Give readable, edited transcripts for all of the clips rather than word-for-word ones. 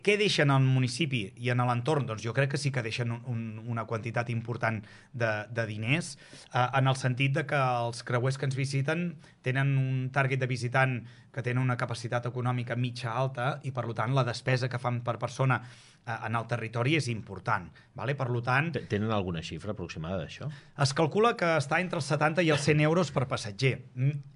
Què deixen al municipi i en l'entorn? Doncs jo crec que sí que deixen una quantitat important de diners, en el sentit de que els creuers que ens visiten tenen un target de visitant que tenen una capacitat econòmica mitja alta i, per tant, la despesa que fan per persona en el territori és important. Vale? Per tant, tenen alguna xifra aproximada d'això? es calcula que està entre els 70 i els 100 euros per passatger.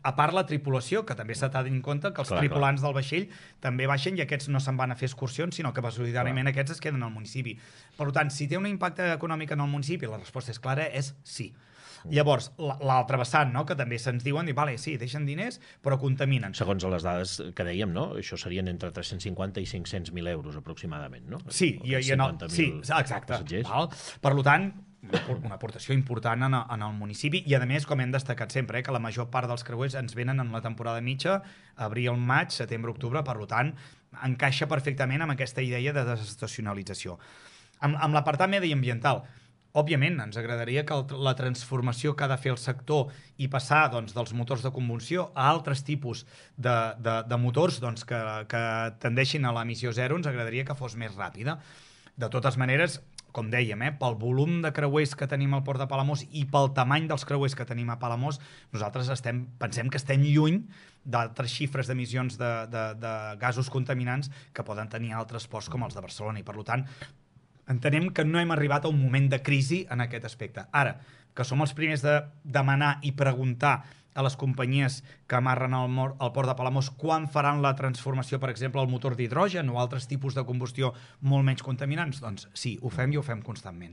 A part la tripulació, que també s'ha de tenir en compte que els tripulants del vaixell també baixen i aquests no se'n van a fer excursions, sinó que solidàriament aquests es queden al municipi. Per tant, si té un impacte econòmic en el municipi, la resposta és clara, és sí. Llavors, l'altre vessant, no?, que també se'ns diuen, vale, sí, deixen diners, però contaminen. Segons les dades que dèiem, no?, això serien entre 350 i 500.000 euros aproximadament, no? Sí, sí, exacte. Val? Per tant, una aportació important en el municipi i, a més, com hem destacat sempre, que la major part dels creuers ens venen en la temporada mitja, abril, maig, setembre, octubre, per tant, encaixa perfectament amb aquesta idea de desestacionalització. Amb l'apartat mediambiental, òbviament, ens agradaria que la transformació que ha de fer el sector i passar dels motors de combustió a altres tipus de motors que tendeixin a l'emissió zero, ens agradaria que fos més ràpida. De totes maneres, com dèiem, pel volum de creuers que tenim al port de Palamós i pel tamany dels creuers que tenim a Palamós, nosaltres pensem que estem lluny d'altres xifres d'emissions de gasos contaminants que poden tenir altres ports com els de Barcelona. I, per tant, entenem que no hem arribat a un moment de crisi en aquest aspecte. Ara, que som els primers de demanar i preguntar a les companyies que amarren al port de Palamós quan faran la transformació, per exemple, al motor d'hidrogen o altres tipus de combustió molt menys contaminants, doncs sí, ho fem i ho fem constantment.